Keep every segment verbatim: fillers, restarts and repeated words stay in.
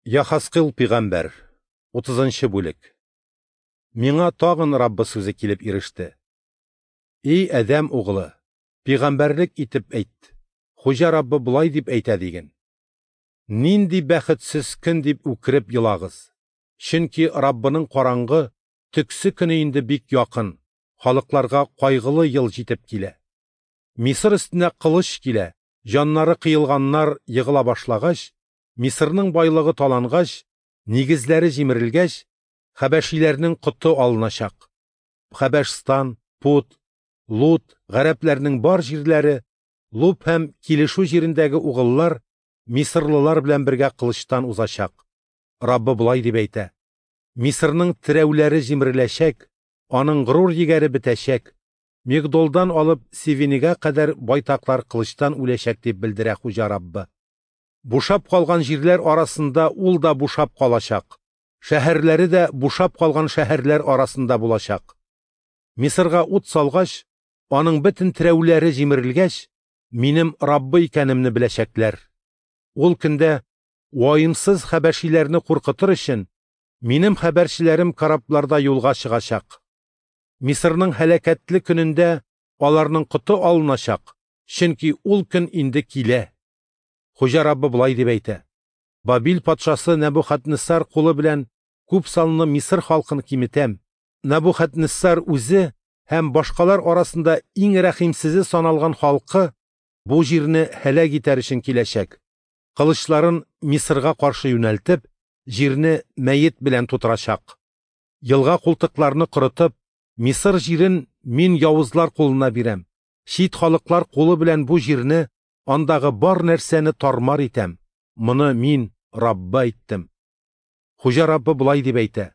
Яхаскыл пигамбәр, утызынчы бүлек. Миңа тагын Раббы сүзе килеп иреште. Эй, Адәм углы, пигамбәрлек итеп әйт. Хуҗа Раббы болай дип әйтә диген. Нинди бәхетсез көн дип үкереп елагыз. Чөнки Раббының караңгы, төксе көне инде бик якын, халыкларга кайгылы ел җитеп килә. Мисыр өстенә кылыч килә, җаннары кыелганнар егыла башлагач, Мисырның байлыгы талангач, нигезләре җимерелгәч, хәбәшиләрнең коты алыначак. Хәбәшстан, Пут, Лут, гарәпләрнең бар җирләре, Луп һәм килешү җирендәге угыллар мисырлылар белән бергә кылычтан узачак. Раббы болай дип әйтә: Мисырның терәүләре җимереләчәк, аның горур егәре бетәчәк. Мигдолдан алып Севинегә кадәр байтаклар кылычтан үләчәк дип белдерә Хуҗа Раббы. Бушап калган җирләр арасында ул да бушап калачак. Шәһәрләре дә бушап калган шәһәрләр арасында булачак. Мисырга ут салгач, аның бөтен терәүләре җимерелгәч, минем Раббы икәнемне беләчәкләр. Ул көндә ваемсыз хәбәшиләрне куркытыр өчен минем хәбәрчеләрем корабларда юлга чыгачак. Мисырның һәлакәтле көнендә аларның коты алыначак, чөнки ул көн инде килә. Хуҗа Раббы болай дип әйтә: Бабил патшасы Нәбухаднессар кулы белән күп санлы Мисыр халкын киметәм. Нәбухаднессар үзе һәм башкалар арасында иң рәхимсезе саналган халкы бу җирне һәлак итәр өчен киләчәк. Кылычларын Мисырга каршы юнәлтеп, җирне мәет белән тутырачак. Елга култыкларны корытып, Мисыр җирен мин явызлар кулына бирәм. Чит халыклар кулы белән бу җирне, андагы бар нәрсәне тармар итәм. Моны мин, Раббы, әйттем. Хуҗа Раббы болай дип әйтә: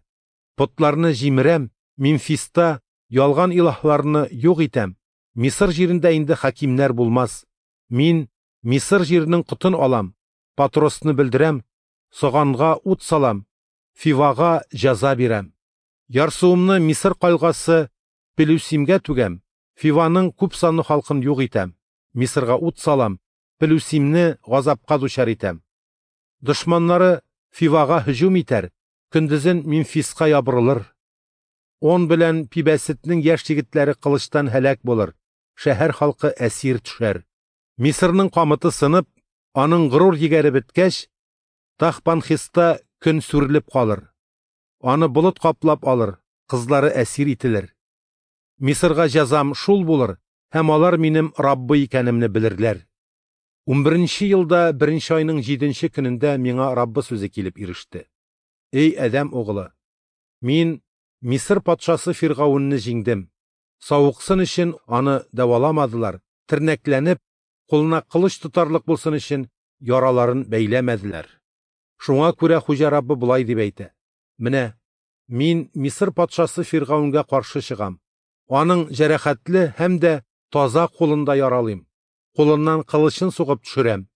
Потларны җимерәм, Мемфиста ялган илаһларны юк итәм. Мисыр җирендә инде хакимнәр булмас. Мин Мисыр җиренең котын алам, Патросны белдерәм, Соганга ут салам, Фивага җәза бирәм. Ярсуымны Мисыр калгасы Пелүсимгә түгәм, Фиваның күп санлы халкын юк итәм. Мисырга ут салам, Пелүсимне газапка дучар итәм. Дошманнары Фивага һөҗүм итәр, көндезен Мемфиска ябырылыр. Он белән Пибәсетнең яшь егетләре кылычтан һәлак булыр, шәһәр халкы әсир төшәр. Мисырның камыты сынып, аның горур егәре беткәч, Тахпанхиста көн сүрелеп калыр. Аны болыт каплап алыр, кызлары әсир ителер. Мисырга җәзам шул булыр, һәм алар минем Раббы икәнемне белерләр. Унберенче елда беренче айның җиденче көнендә миңа Раббы сүзе килеп иреште. Эй, Адәм углы, мин Мисыр патшасы Фиргавенне җиңдем. Савыксын өчен аны дәваламадылар, тернәкләнеп, кулына кылыч тотарлык булсын өчен яраларын бәйләмәделәр. Шуңа күрә Хуҗа Раббы болай дип әйтә: Менә мин Мисыр патшасы Фиргавенгә каршы чыгам. Аның җәрәхәтле һәм дә таза кулында яралыйм. Кулыннан кылычын сугып төшерәм.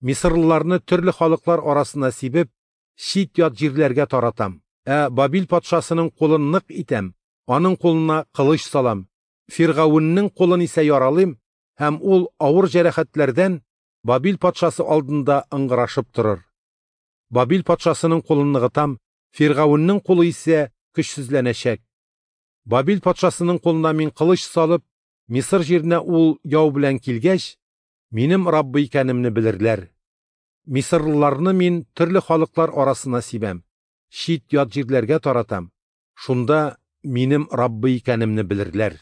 Мисырлыларны төрле халыклар арасына сибеп, чит-ят җирләргә таратам. Ә Бабил патшасының кулын нык итәм, аның кулына кылыч салам. Фиргавеннең кулын исә яралыйм, һәм ул авыр җәрәхәтләрдән Бабил патшасы алдында ыңгырашып торыр. Бабил патшасының кулын ныгытам, Фиргавеннең кулы исә көчсезләнәчәк. Бабил патшасының кулына мин кылыч салып, Мисыр җиренә ул яу белән килгәч, минем Раббы икәнемне белерләр. Мисырлыларны мин төрле халыклар арасына сибәм, чит-ят җирләргә таратам. Шунда минем Раббы икәнемне белерләр.